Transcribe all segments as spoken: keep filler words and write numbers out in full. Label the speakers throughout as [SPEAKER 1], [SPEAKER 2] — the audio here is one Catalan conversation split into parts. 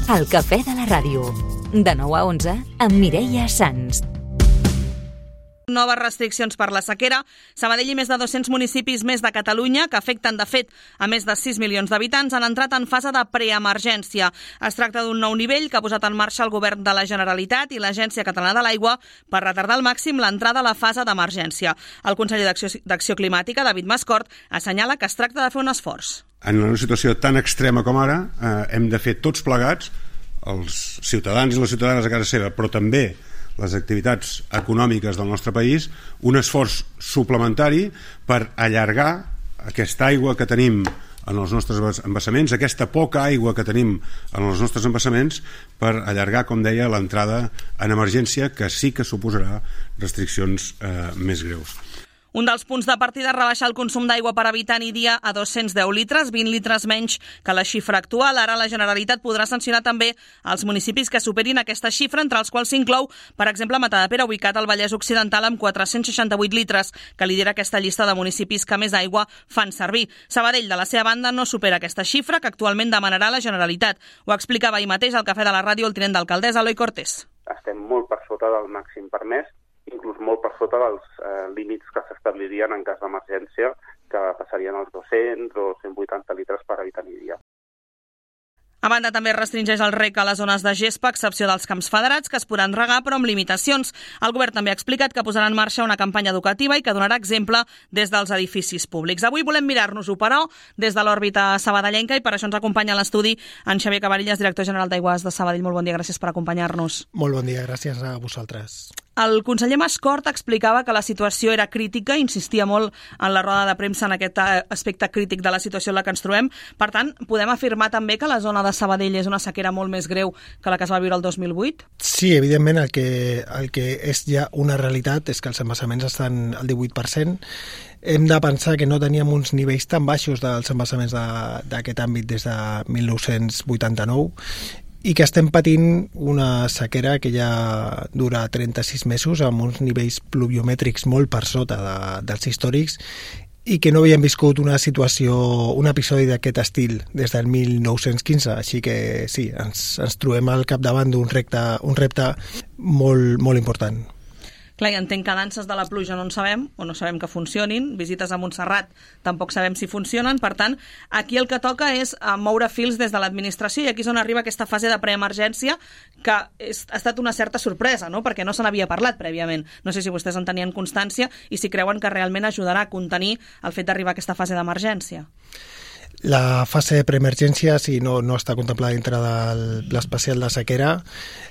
[SPEAKER 1] El cafè de la ràdio. De nou a onze, amb Mireia Sans.
[SPEAKER 2] Noves restriccions per la sequera. Sabadell i més de dos-cents municipis més de Catalunya, que afecten, de fet, a més de sis milions d'habitants, han entrat en fase de preemergència. Es tracta d'un nou nivell que ha posat en marxa el Govern de la Generalitat i l'Agència Catalana de l'Aigua per retardar al màxim l'entrada a la fase d'emergència. El conseller d'Acció Climàtica, David Mascort, assenyala que es tracta de fer un esforç.
[SPEAKER 3] En una situació tan extrema com ara, eh, hem de fer tots plegats, els ciutadans i les ciutadanes a casa seva, però també les activitats econòmiques del nostre país, un esforç suplementari per allargar aquesta aigua que tenim en els nostres embassaments, aquesta poca aigua que tenim en els nostres embassaments, per allargar, com deia, l'entrada en emergència, que sí que suposarà restriccions eh, més greus.
[SPEAKER 2] Un dels punts de partida és rebaixar el consum d'aigua per habitant i dia a dos-cents deu litres, vint litres menys que la xifra actual. Ara la Generalitat podrà sancionar també els municipis que superin aquesta xifra, entre els quals s'inclou, per exemple, Matadepera, ubicat al Vallès Occidental, amb quatre-cents seixanta-vuit litres, que lidera aquesta llista de municipis que més aigua fan servir. Sabadell, de la seva banda, no supera aquesta xifra, que actualment demanarà la Generalitat. Ho explicava ahir mateix al Cafè de la Ràdio el tinent d'alcaldessa, Eloi Cortés.
[SPEAKER 4] Estem molt per sota del màxim permès, inclús molt per sota dels eh, límits que s'establirien en cas d'emergència, que passarien als dos-cents o cent vuitanta litres per habitant i dia.
[SPEAKER 2] A banda, també restringeix el rec a les zones de gespa, a excepció dels camps federats, que es podran regar, però amb limitacions. El govern també ha explicat que posarà en marxa una campanya educativa i que donarà exemple des dels edificis públics. Avui volem mirar-nos-ho, però, des de l'òrbita sabadellenca, i per això ens acompanya a l'estudi en Xavier Cabarillas, director general d'Aigües de Sabadell. Molt bon dia, gràcies per acompanyar-nos.
[SPEAKER 5] Molt bon dia, gràcies a vosaltres.
[SPEAKER 2] El conseller Mascort explicava que la situació era crítica, insistia molt en la roda de premsa en aquest aspecte crític de la situació en la que ens trobem. Per tant, podem afirmar també que la zona de Sabadell és una sequera molt més greu que la que es va viure el dos mil vuit?
[SPEAKER 5] Sí, evidentment, el que, el que és ja una realitat és que els embassaments estan al divuit per cent. Hem de pensar que no teníem uns nivells tan baixos dels embassaments d'aquest àmbit des de mil nou-cents vuitanta-nou, i que estem patint una sequera que ja dura trenta-sis mesos amb uns nivells pluviomètrics molt per sota de, dels històrics, i que no havíem viscut una situació, un episodi d'aquest estil des del mil nou-cents quinze, així que sí, ens, ens trobem al capdavant d'un repte, un repte molt, molt important.
[SPEAKER 2] Clar, i entenc que danses de la pluja no en sabem, o no sabem que funcionin, visites a Montserrat tampoc sabem si funcionen, per tant, aquí el que toca és moure fils des de l'administració, i aquí és on arriba aquesta fase de preemergència, que és, ha estat una certa sorpresa, no? Perquè no se n'havia parlat prèviament. No sé si vostès en tenien constància i si creuen que realment ajudarà a contenir el fet d'arribar a aquesta fase d'emergència.
[SPEAKER 5] La fase de preemergència sí, no, no està contemplada dintre del pla especial de sequera,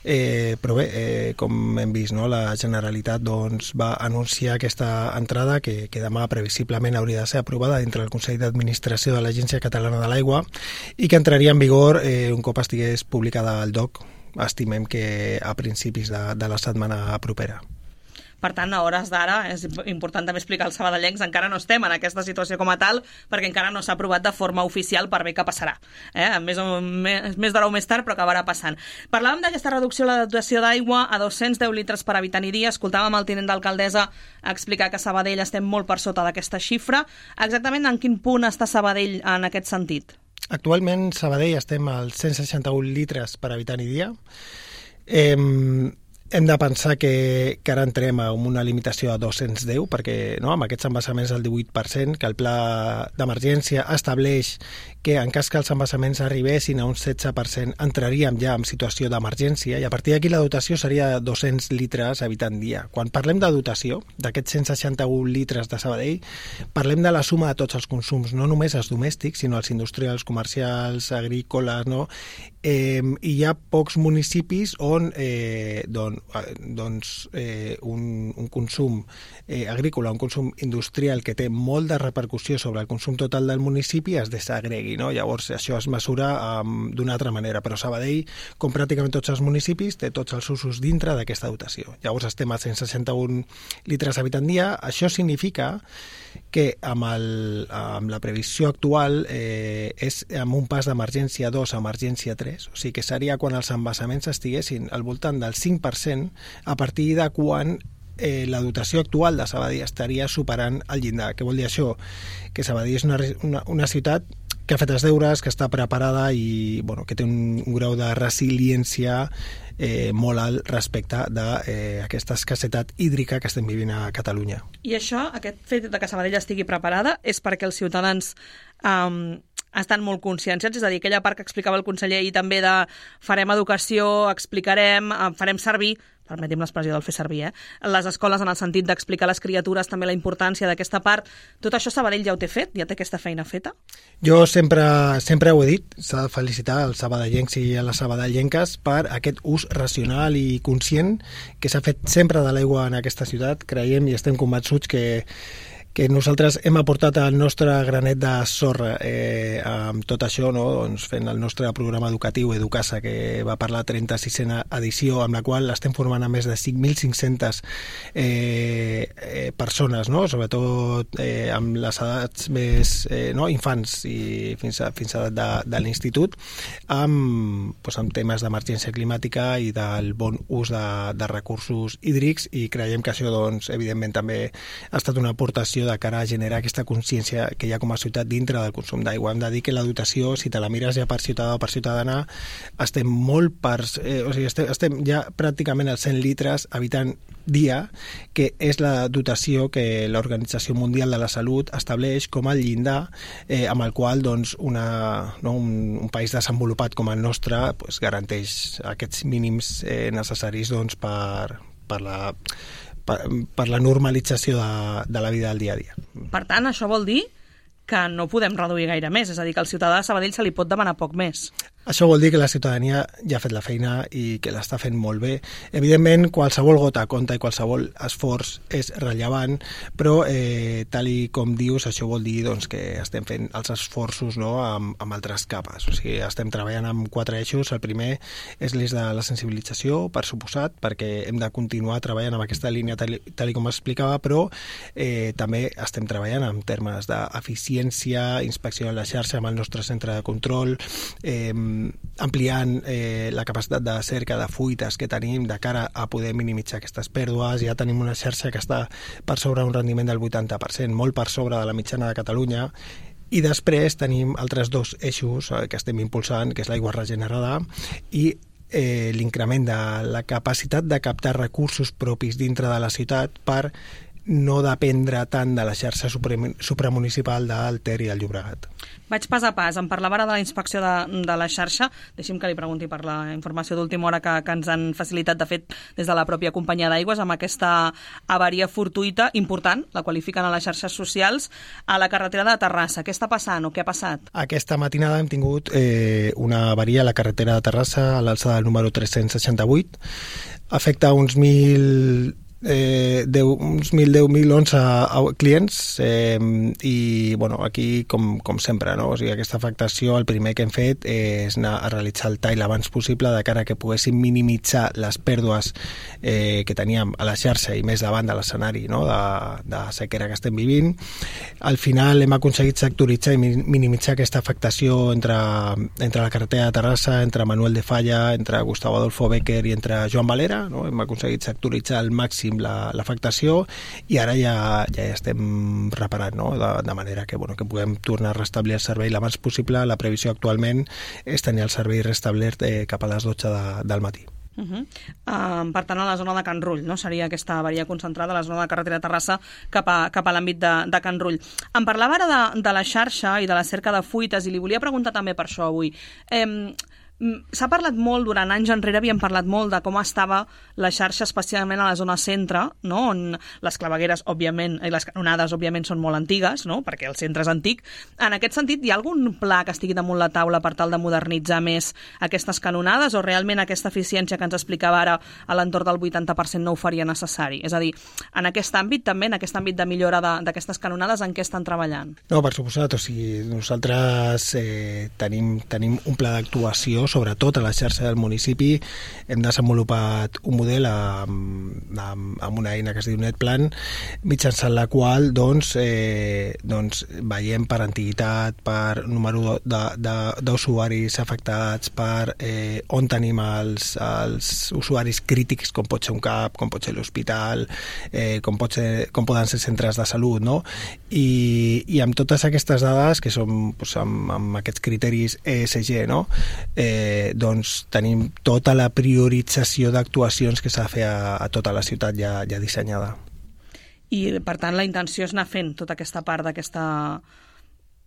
[SPEAKER 5] eh, però bé, eh, com hem vist, no, la Generalitat doncs, va anunciar aquesta entrada que, que demà previsiblement hauria de ser aprovada dintre del Consell d'Administració de l'Agència Catalana de l'Aigua i que entraria en vigor eh, un cop estigués publicada al D O C. Estimem que a principis de, de la setmana propera.
[SPEAKER 2] Per tant, a hores d'ara, és important també explicar als sabadellencs, encara no estem en aquesta situació com a tal, perquè encara no s'ha aprovat de forma oficial per bé que passarà. Eh? Més, o, més, més d'hora o més tard, però acabarà passant. Parlàvem d'aquesta reducció de la dotació d'aigua a dos-cents deu litres per habitant i dia. Escoltàvem el tinent d'alcaldessa explicar que a Sabadell estem molt per sota d'aquesta xifra. Exactament en quin punt està Sabadell en aquest sentit?
[SPEAKER 5] Actualment, Sabadell estem als cent seixanta-un litres per habitant i dia. Eh, Hem de pensar que, que ara entrem a una limitació a dos-cents deu, perquè no, amb aquests embassaments del divuit per cent, que el pla d'emergència estableix que en cas que els embassaments arribessin a un setze per cent entraríem ja en situació d'emergència, i a partir d'aquí la dotació seria de dos-cents litres habitant dia. Quan parlem de dotació, d'aquests cent seixanta-un litres de Sabadell, parlem de la suma de tots els consums, no només els domèstics, sinó els industrials, comercials, agrícoles, no? Eh, i hi ha pocs municipis on eh, doncs, doncs eh, un, un consum eh, agrícola, un consum industrial que té molt de repercussió sobre el consum total del municipi es desagregui, no? Llavors això es mesura um, d'una altra manera, però Sabadell, com pràcticament tots els municipis, té tots els usos dintre d'aquesta dotació. Llavors estem a cent seixanta-un litres habitant dia. Això significa que amb, el, amb la previsió actual eh, és amb un pas d'emergència dos a emergència tres, o sigui que seria quan els embassaments estiguessin al voltant del cinc per cent a partir de quan eh, la dotació actual de Sabadell estaria superant el llindar. Què vol dir això? Que Sabadell és una, una, una ciutat que ha fet els deures, que està preparada i bueno, que té un, un grau de resiliència eh, molt alt respecte d'aquesta eh, escassetat hídrica que estem vivint a Catalunya.
[SPEAKER 2] I això, aquest fet de que Sabadell estigui preparada, és perquè els ciutadans um, estan molt conscienciats, és a dir, aquella part que explicava el conseller ahir també de farem educació, explicarem, farem servir, permetim l'expressió del fer servir, eh? les escoles en el sentit d'explicar a les criatures també la importància d'aquesta part. Tot això Sabadell ja ho té fet? Ja té aquesta feina feta?
[SPEAKER 5] Jo sempre, sempre ho he dit, s'ha de felicitar els sabadellencs i a les sabadellenques per aquest ús racional i conscient que s'ha fet sempre de l'aigua en aquesta ciutat. Creiem i estem convençuts que que nosaltres hem aportat el nostre granet de sorra eh, amb tot això, no? Doncs fent el nostre programa educatiu Educasa, que va per la trenta-sisena edició, amb la qual estem formant a més de cinc mil cinc-centes eh, eh, persones, no? Sobretot eh, amb les edats més eh, no? infants i fins a, fins a edat de, de l'institut, amb, doncs, amb temes d'emergència climàtica i del bon ús de, de recursos hídrics, i creiem que això, doncs, evidentment també ha estat una aportació de cara a generar aquesta consciència que hi ha com a ciutat dintre del consum d'aigua. Hem de dir que la dotació, si te la mires ja per ciutadà o per ciutadana, estem molt per... Eh, o sigui, estem, estem ja pràcticament als cent litres habitant dia, que és la dotació que l'Organització Mundial de la Salut estableix com a llindar eh, amb el qual, doncs, una, no, un, un país desenvolupat com el nostre pues, garanteix aquests mínims eh, necessaris, doncs, per, per la... Per, per la normalització de, de la vida del dia a dia.
[SPEAKER 2] Per tant, això vol dir que no podem reduir gaire més, és a dir, que al ciutadà de Sabadell se li pot demanar poc més.
[SPEAKER 5] Això vol dir que la ciutadania ja ha fet la feina i que l'està fent molt bé. Evidentment, qualsevol gota compta i qualsevol esforç és rellevant, però eh, tal i com dius, això vol dir, doncs, que estem fent els esforços, no, amb, amb altres capes. O sigui, estem treballant amb quatre eixos. El primer és l'eix de la sensibilització, per suposat, perquè hem de continuar treballant amb aquesta línia tal, tal i com explicava, però eh, també estem treballant en termes d'eficiència, inspecció de la xarxa amb el nostre centre de control, eh, ampliant eh, la capacitat de cerca de fuites que tenim de cara a poder minimitzar aquestes pèrdues. Ja tenim una xarxa que està per sobre un rendiment del vuitanta per cent, molt per sobre de la mitjana de Catalunya, i després tenim altres dos eixos eh, que estem impulsant, que és l'aigua regenerada i eh, l'increment de la capacitat de captar recursos propis dintre de la ciutat per no dependre tant de la xarxa supramunicipal del Ter i del Llobregat.
[SPEAKER 2] Vaig pas a pas. Em parlava ara de la inspecció de, de la xarxa. Deixi'm que li pregunti per la informació d'última hora que, que ens han facilitat, de fet, des de la pròpia companyia d'aigües, amb aquesta avaria fortuïta important, la qualifiquen a les xarxes socials, a la carretera de Terrassa. Què està passant o què ha passat?
[SPEAKER 5] Aquesta matinada hem tingut eh, una avaria a la carretera de Terrassa, a l'alçada del número tres-cents seixanta-vuit. Afecta uns mil... Eh, deu, uns mil deu mil onze clients eh, i bueno, aquí com, com sempre, no? O sigui, aquesta afectació, el primer que hem fet és anar a realitzar el tall abans possible de cara a que poguéssim minimitzar les pèrdues eh, que teníem a la xarxa i més davant de l'escenari, no? de, de sequera que estem vivint. Al final hem aconseguit sectoritzar i minimitzar aquesta afectació entre, entre la carretera de Terrassa, entre Manuel de Falla, entre Gustavo Adolfo Bécquer i entre Joan Valera, no? Hem aconseguit sectoritzar al màxim l'afectació i ara ja, ja estem reparant, no? de, de manera que, bueno, que puguem tornar a restablir el servei l'abans possible. La previsió actualment és tenir el servei restablert eh, cap a les dotze de, del matí.
[SPEAKER 2] Uh -huh. uh, per tant, a la zona de Can Rull, no? Seria aquesta avaria concentrada a la zona de carretera de Terrassa cap a, cap a l'àmbit de, de Can Rull. Em parlava ara de, de la xarxa i de la cerca de fuites i li volia preguntar també per això avui. Eh, S'ha parlat molt, durant anys enrere havíem parlat molt de com estava la xarxa, especialment a la zona centre, no? On les clavegueres, òbviament, i les canonades, òbviament, són molt antigues, no? Perquè el centre és antic. En aquest sentit, hi ha algun pla que estigui damunt la taula per tal de modernitzar més aquestes canonades, o realment aquesta eficiència que ens explicava ara a l'entorn del vuitanta per cent no ho faria necessari? És a dir, en aquest àmbit també, en aquest àmbit de millora d'aquestes canonades, en què estan treballant?
[SPEAKER 5] No, per suposat, o sigui, nosaltres eh, tenim, tenim un pla d'actuació sobretot a la xarxa del municipi. Hem desenvolupat un model amb, amb, amb una eina que es diu NetPlan, mitjançant la qual doncs, eh, doncs, veiem per antiguitat, per número d'usuaris afectats, per eh, on tenim els, els usuaris crítics, com pot ser un CAP, com pot ser l'hospital, eh, com, pot ser, com poden ser centres de salut, no? I, i amb totes aquestes dades, que són doncs, amb, amb aquests criteris E S G, no? eh, doncs tenim tota la priorització d'actuacions que s'ha de fer a, a tota la ciutat ja, ja dissenyada.
[SPEAKER 2] I, per tant, la intenció és anar fent tota aquesta part d'aquesta,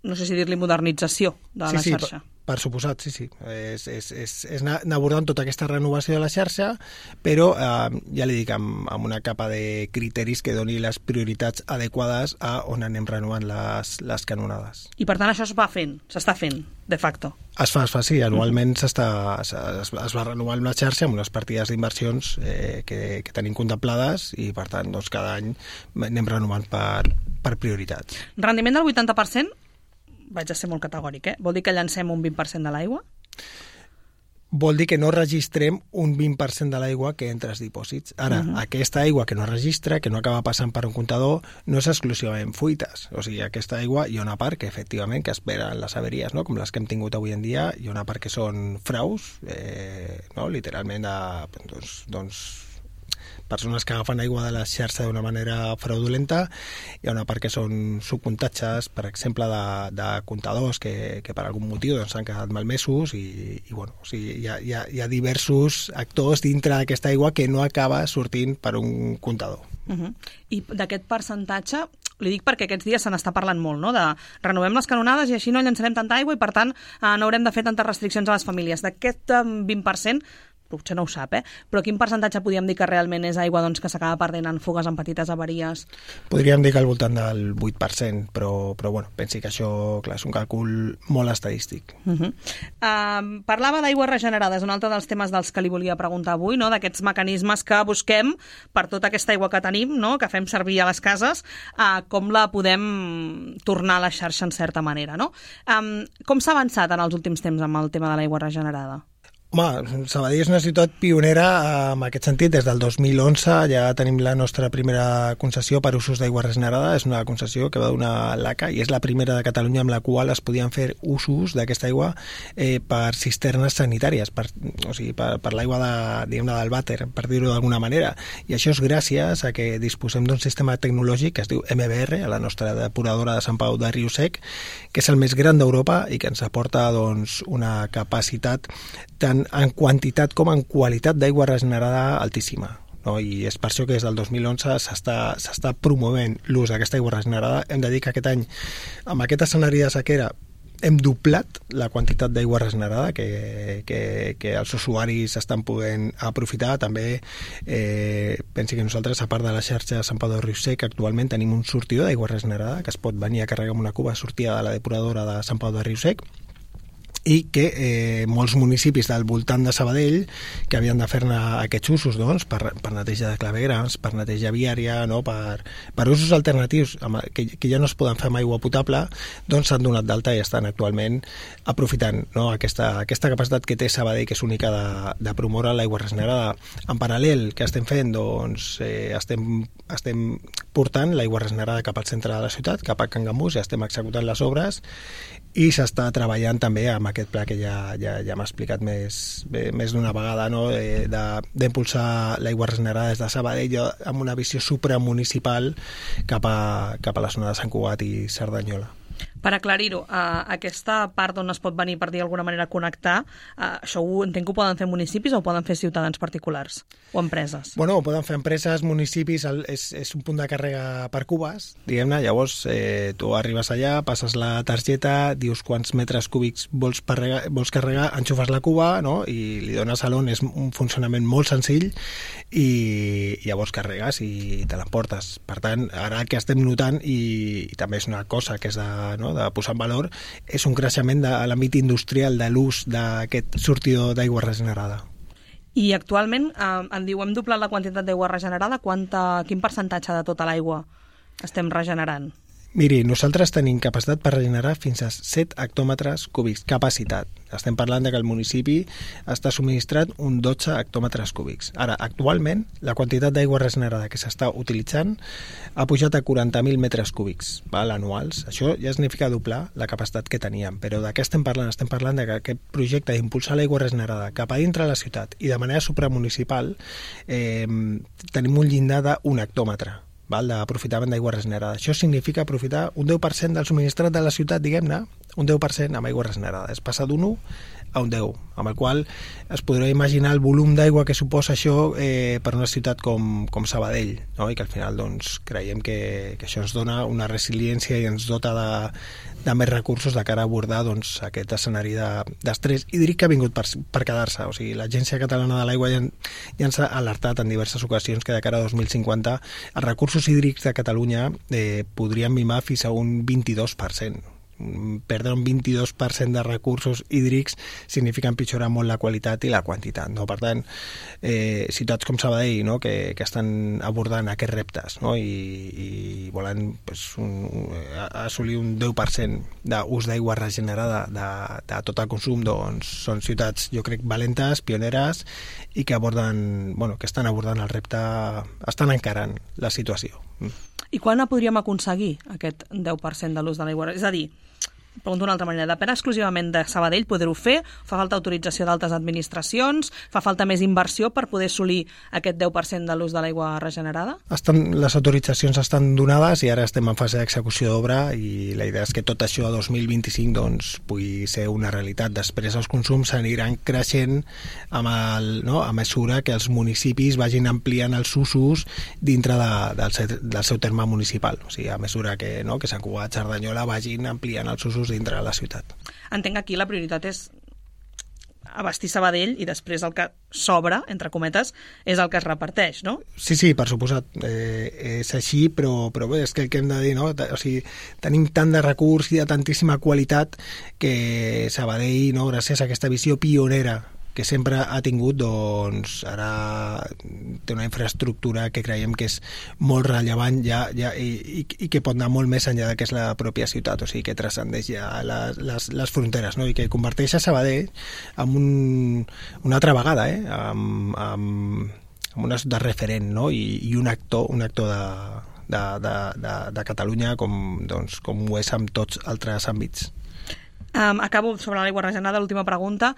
[SPEAKER 2] no sé si dir-li modernització de
[SPEAKER 5] sí,
[SPEAKER 2] la
[SPEAKER 5] sí,
[SPEAKER 2] xarxa.
[SPEAKER 5] Per, per suposat, sí, sí. És, és, és, és anar abordant tota aquesta renovació de la xarxa, però eh, ja li dic, amb, amb una capa de criteris que doni les prioritats adequades a on anem renovant les, les canonades.
[SPEAKER 2] I, per tant, això es va fent, s'està fent, de facto.
[SPEAKER 5] Es fa, es fa, sí. Anualment uh-huh. s'està, es, es va renovar la xarxa amb unes partides d'inversions eh, que, que tenim contemplades i, per tant, doncs, cada any anem renovant per, per prioritats.
[SPEAKER 2] Rendiment del vuitanta per cent? Vaig a ser molt categòric, eh? Vol dir que llancem un vint per cent de l'aigua?
[SPEAKER 5] Vol dir que no registrem un vint per cent de l'aigua que entra als dipòsits. Ara, uh-huh. aquesta aigua que no registra, que no acaba passant per un comptador, no és exclusivament fuites. O sigui, aquesta aigua hi ha una part que, efectivament, que esperen les averies, no? Com les que hem tingut avui en dia, hi ha una part que són fraus, eh, no? Literalment, de, doncs, doncs persones que agafen aigua de la xarxa d'una manera fraudulenta. Hi ha una part que són subcontatges, per exemple, de, de comptadors que, que per algun motiu doncs, s'han quedat malmesos i, i bueno, o sigui, hi, ha, hi, ha, hi ha diversos actors dintre d'aquesta aigua que no acaba sortint per un comptador.
[SPEAKER 2] Uh-huh. I d'aquest percentatge, li dic perquè aquests dies se n'està parlant molt, no? De renovem les canonades i així no llançarem tanta aigua i, per tant, eh, no haurem de fer tantes restriccions a les famílies. D'aquest eh, vint per cent, potser no ho sap, eh? Però quin percentatge podríem dir que realment és aigua doncs, que s'acaba perdent en fugues, en petites avaries?
[SPEAKER 5] Podríem dir que al voltant del vuit per cent, però, però bueno, pensi que això clar, és un càlcul molt estadístic.
[SPEAKER 2] Uh-huh. Uh, parlava d'aigües regenerades, un altre dels temes dels que li volia preguntar avui, no? D'aquests mecanismes que busquem per tota aquesta aigua que tenim, no? Que fem servir a les cases, uh, com la podem tornar a la xarxa en certa manera, no? Um, com s'ha avançat en els últims temps amb el tema de l'aigua regenerada?
[SPEAKER 5] Home, Sabadell és una ciutat pionera en aquest sentit. Des del dos mil onze ja tenim la nostra primera concessió per usos d'aigua regenerada. És una concessió que va donar l'A C A i és la primera de Catalunya amb la qual es podien fer usos d'aquesta aigua eh, per cisternes sanitàries, per, o sigui, per, per l'aigua de, diguem-ne, del vàter, per dir-ho d'alguna manera. I això és gràcies a que disposem d'un sistema tecnològic que es diu M B R, a la nostra depuradora de Sant Pau de Riu-Sec, que és el més gran d'Europa i que ens aporta doncs, una capacitat tant en quantitat com en qualitat d'aigua regenerada altíssima. No? I és per això que des del dos mil onze s'està, s'està promovent l'ús d'aquesta aigua regenerada. Hem de dir que aquest any, amb aquest escenari de sequera, hem doblat la quantitat d'aigua regenerada que, que, que els usuaris estan podent aprofitar. També eh, pensi que nosaltres, a part de la xarxa de Sant Pau de Riu-Sec, actualment tenim un sortidor d'aigua regenerada que es pot venir a carregar amb una cuba sortida de la depuradora de Sant Pau de Riu-Sec, i que eh, molts municipis del voltant de Sabadell que havien de fer-ne aquests usos doncs, per, per neteja de clavegueres, per neteja viària, no? per, per usos alternatius que, que ja no es poden fer amb aigua potable, doncs s'han donat d'alta i estan actualment aprofitant, no? aquesta, aquesta capacitat que té Sabadell, que és única de, de promoure l'aigua regenerada. En paral·lel, què estem fent? Doncs eh, estem, estem portant l'aigua regenerada cap al centre de la ciutat, cap a Can Gambús, i estem executant les obres i s'està treballant també amb aquest pla que ja, ja, ja m'ha explicat més, més d'una vegada, no? de, d'impulsar l'aigua regenerada des de Sabadell amb una visió supramunicipal cap a, cap a la zona de Sant Cugat i Cerdanyola.
[SPEAKER 2] Per aclarir-ho, uh, aquesta part on es pot venir, per dir d'alguna manera, connectar, uh, això ho entenc que ho poden fer municipis o ho poden fer ciutadans particulars o empreses?
[SPEAKER 5] Bueno, ho poden fer empreses, municipis, el, és, és un punt de càrrega per cubes, diguem-ne, llavors eh, tu arribes allà, passes la targeta, dius quants metres cúbics vols, parregar, vols carregar, enxufes la cuba, no? I li dones a l'on, és un funcionament molt senzill i llavors carregues i te l'emportes. Per tant, ara el que estem notant, i, i també és una cosa que és de, no, de posar en valor, és un creixement de l'àmbit industrial de l'ús d'aquest sortidor d'aigua regenerada.
[SPEAKER 2] I actualment, eh, em diu, hem doblat la quantitat d'aigua regenerada. Quanta, quin percentatge de tota l'aigua estem regenerant?
[SPEAKER 5] Miri, nosaltres tenim capacitat per regenerar fins a set hectòmetres cúbics, capacitat. Estem parlant de que el municipi està subministrat un dotze hectòmetres cúbics. Ara, actualment, la quantitat d'aigua regenerada que s'està utilitzant ha pujat a quaranta mil metres cúbics, val, anuals. Això ja significa doblar la capacitat que teníem. Però de què estem parlant? Estem parlant de que aquest projecte d'impulsar l'aigua regenerada cap a dintre de la ciutat i de manera supramunicipal eh, tenim un llindar d'un hectòmetre d'aprofitament d'aigua regenerada. Això significa aprofitar un deu per cent del subministrat de la ciutat, diguem-ne, un deu per cent amb aigua regenerada. És passar d'un u a un deu, amb el qual es podrà imaginar el volum d'aigua que suposa això eh, per una ciutat com, com Sabadell, no? I que al final doncs, creiem que, que això ens dona una resiliència i ens dota de, de més recursos de cara a abordar doncs, aquest escenari d'estrès de, hídric que ha vingut per, per quedar-se. O sigui, l'Agència Catalana de l'Aigua ja, ja ens ha alertat en diverses ocasions que de cara a dos mil cinquanta els recursos hídrics de Catalunya eh, podrien mimar fins a un vint-i-dos per cent. Perdre un vint-i-dos per cent de recursos hídrics significa empitjorar molt la qualitat i la quantitat, no? Per tant, eh, ciutats com Sabadell, no? que, que estan abordant aquests reptes, no? I, i volen pues, un, assolir un deu per cent d'ús d'aigua regenerada de, de tot el consum, doncs són ciutats, jo crec, valentes, pioneres i que aborden, bueno, que estan abordant el repte, estan encarant la situació.
[SPEAKER 2] I quan podríem aconseguir aquest deu per cent de l'ús de l'aigua? És a dir, pregunto d'una altra manera, depèn exclusivament de Sabadell poder-ho fer? Fa falta autorització d'altres administracions? Fa falta més inversió per poder assolir aquest deu per cent de l'ús de l'aigua regenerada?
[SPEAKER 5] Estan, les autoritzacions estan donades i ara estem en fase d'execució d'obra i la idea és que tot això a dos mil vint-i-cinc doncs, pugui ser una realitat. Després els consums s'aniran creixent amb el, no, a mesura que els municipis vagin ampliant els usos dintre de, del, seu, del seu terme municipal. O sigui, a mesura que, no, que Sant Cugat, Cerdanyola vagin ampliant els usos dintre de la ciutat.
[SPEAKER 2] Entenc que aquí la prioritat és abastir Sabadell i després el que sobra, entre cometes, és el que es reparteix, no?
[SPEAKER 5] Sí, sí, per suposat. Eh, és així, però, però bé, és que el que hem de dir, no? O sigui, tenim tant de recurs i de tantíssima qualitat que Sabadell, no, gràcies a aquesta visió pionera que sempre ha tingut, doncs ara té una infraestructura que creiem que és molt rellevant ja, ja, i, i, i que pot anar molt més enllà de que és la pròpia ciutat, o sigui que transcendeix ja les, les, les fronteres, no? I que converteix a Sabadell en un, una altra vegada, eh? amb, amb, amb una ciutat referent, no? I, i un actor, un actor de, de, de, de, de Catalunya com, doncs, com ho és amb tots altres àmbits.
[SPEAKER 2] Um, acabo sobre l'aigua regenerada, l'última pregunta.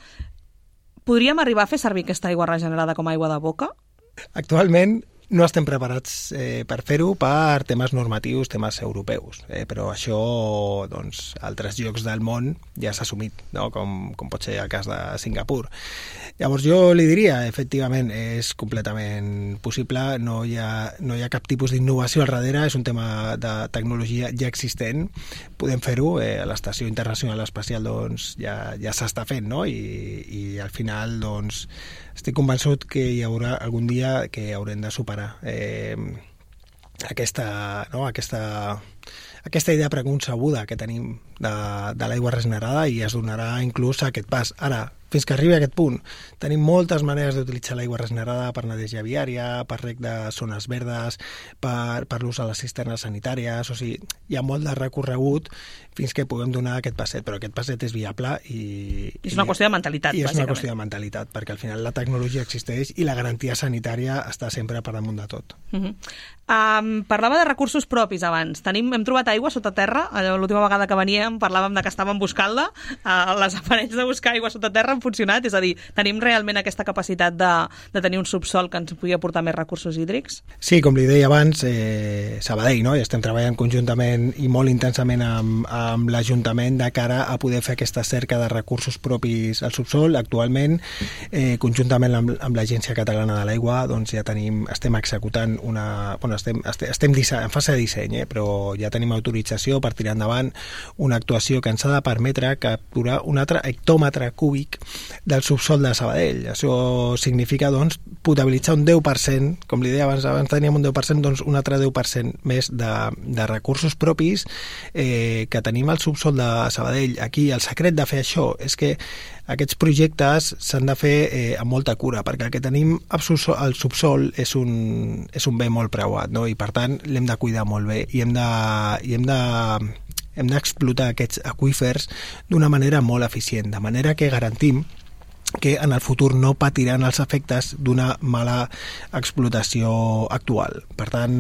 [SPEAKER 2] Podríem arribar a fer servir aquesta aigua regenerada com a aigua de boca?
[SPEAKER 5] Actualment no estem preparats eh, per fer-ho per temes normatius, temes europeus, eh, però això, doncs, altres llocs del món ja s'ha assumit, no? com, com pot ser el cas de Singapur. Llavors jo li diria, efectivament, és completament possible, no hi ha, no hi ha cap tipus d'innovació al darrere, és un tema de tecnologia ja existent, podem fer-ho, eh, a l'Estació Internacional Espacial doncs, ja, ja s'està fent, no? I, i al final, doncs, estic convençut que hi haurà algun dia que haurem de superar eh, aquesta, no? aquesta, aquesta idea preconcebuda que tenim de, de l'aigua regenerada i es donarà inclús aquest pas. Ara, fins que arribi a aquest punt, tenim moltes maneres d'utilitzar l'aigua regenerada per neteja viària, per reg de zones verdes, per, per l'ús a les cisternes sanitàries, o sigui, hi ha molt de recorregut fins que puguem donar aquest passet, però aquest passet és viable i...
[SPEAKER 2] És una i, qüestió de mentalitat,
[SPEAKER 5] i és
[SPEAKER 2] bàsicament.
[SPEAKER 5] una qüestió de mentalitat, perquè al final la tecnologia existeix i la garantia sanitària està sempre per damunt de tot.
[SPEAKER 2] Uh-huh. Um, parlava de recursos propis abans. Tenim, hem trobat aigua sota terra, l'última vegada que veníem parlàvem de que estàvem buscant-la, uh, les aparells de buscar aigua sota terra han funcionat, és a dir, tenim realment aquesta capacitat de, de tenir un subsol que ens pugui aportar més recursos hídrics?
[SPEAKER 5] Sí, com li deia abans, eh, Sabadell, no? I estem treballant conjuntament i molt intensament amb, amb l'Ajuntament de cara a poder fer aquesta cerca de recursos propis al subsol. Actualment, eh, conjuntament amb, amb l'Agència Catalana de l'Aigua, doncs ja tenim, estem executant una... Bueno, estem, estem, estem disseny, en fase de disseny, eh, però ja tenim autorització per tirar endavant una actuació que ens ha de permetre capturar un altre hectòmetre cúbic del subsol de Sabadell. Això significa, doncs, potabilitzar un deu per cent, com li deia abans, abans teníem un deu per cent, doncs un altre deu per cent més de, de recursos propis eh, que tenim al subsol de Sabadell. Aquí el secret de fer això és que aquests projectes s'han de fer eh, amb molta cura, perquè el que tenim al subsol és un, és un bé molt preuat, no? I per tant l'hem de cuidar molt bé i hem de, i hem de hem d'explotar aquests aqüífers d'una manera molt eficient, de manera que garantim que en el futur no patiran els efectes d'una mala explotació actual. Per tant,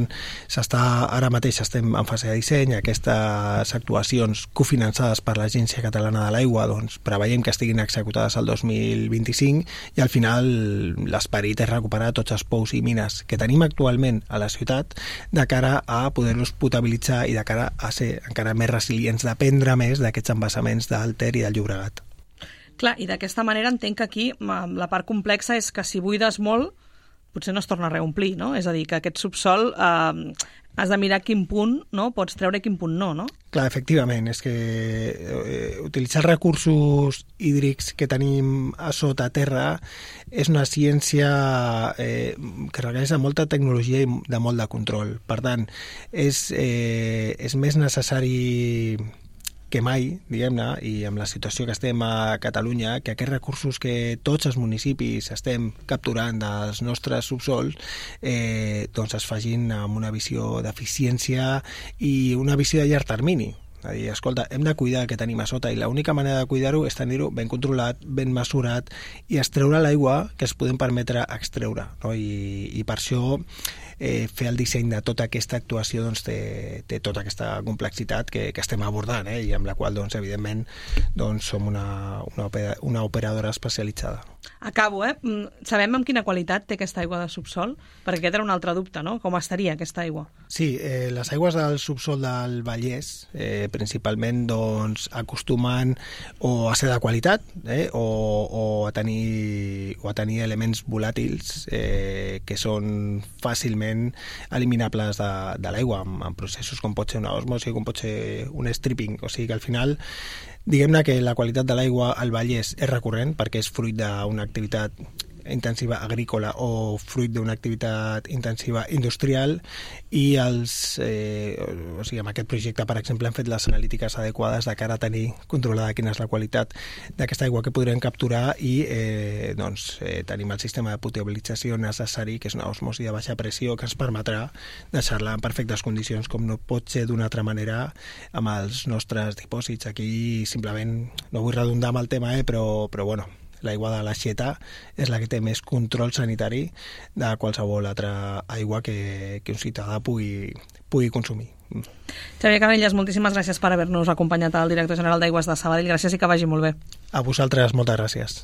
[SPEAKER 5] s'està, ara mateix estem en fase de disseny, aquestes actuacions cofinançades per l'Agència Catalana de l'Aigua, doncs preveiem que estiguin executades el dos mil vint-i-cinc i al final l'esperit és recuperar tots els pous i mines que tenim actualment a la ciutat de cara a poder-los potabilitzar i de cara a ser encara més resilients, dependre més d'aquests embassaments del Ter i del Llobregat.
[SPEAKER 2] Clar, i d'aquesta manera entenc que aquí la part complexa és que si buides molt, potser no es torna a reomplir, no? És a dir, que aquest subsol eh, has de mirar quin punt no? Pots treure i quin punt no, no?
[SPEAKER 5] Clar, efectivament, és que eh, utilitzar recursos hídrics que tenim a sota terra és una ciència eh, que requereix de molta tecnologia i de molt de control. Per tant, és, eh, és més necessari que mai, diguem-ne, i amb la situació que estem a Catalunya, que aquests recursos que tots els municipis estem capturant dels nostres subsols eh, doncs es facin amb una visió d'eficiència i una visió de llarg termini. És a dir, escolta, hem de cuidar el que tenim a sota i l'única manera de cuidar-ho és tenir-ho ben controlat, ben mesurat i extreure l'aigua que es podem permetre extreure, no? I, i per això eh, fer el disseny de tota aquesta actuació doncs, té, té tota aquesta complexitat que, que estem abordant eh? I amb la qual, doncs, evidentment, doncs, som una, una, opera, una operadora especialitzada.
[SPEAKER 2] Acabo, eh? Sabem amb quina qualitat té aquesta aigua de subsol? Perquè aquest era un altre dubte, no? Com estaria aquesta aigua?
[SPEAKER 5] Sí, eh, les aigües del subsol del Vallès eh, principalment doncs, acostumen o a ser de qualitat eh, o, o, a tenir, o a tenir elements volàtils eh, que són fàcilment eliminables de, de l'aigua amb, amb processos com pot ser una osmosi, com pot ser un stripping. O sigui que al final diguem-ne que la qualitat de l'aigua al Vallès és recurrent perquè és fruit d'una activitat intensiva agrícola o fruit d'una activitat intensiva industrial i els, eh, o sigui, amb aquest projecte, per exemple, hem fet les analítiques adequades de cara a tenir controlada quina és la qualitat d'aquesta aigua que podrem capturar i eh, doncs, eh, tenim el sistema de potabilització necessari, que és una osmosi de baixa pressió que ens permetrà deixar-la en perfectes condicions, com no pot ser d'una altra manera amb els nostres dipòsits. Aquí simplement, no vull redundar amb el tema, eh, però, però bueno, l'aigua de l'Aixeta és la que té més control sanitari de qualsevol altra aigua que, que un ciutadà pugui, pugui consumir.
[SPEAKER 2] Xavier Canelles, moltíssimes gràcies per haver-nos acompanyat al director general d'Aigües de Sabadell. Gràcies i que vagi molt bé.
[SPEAKER 5] A vosaltres, moltes gràcies.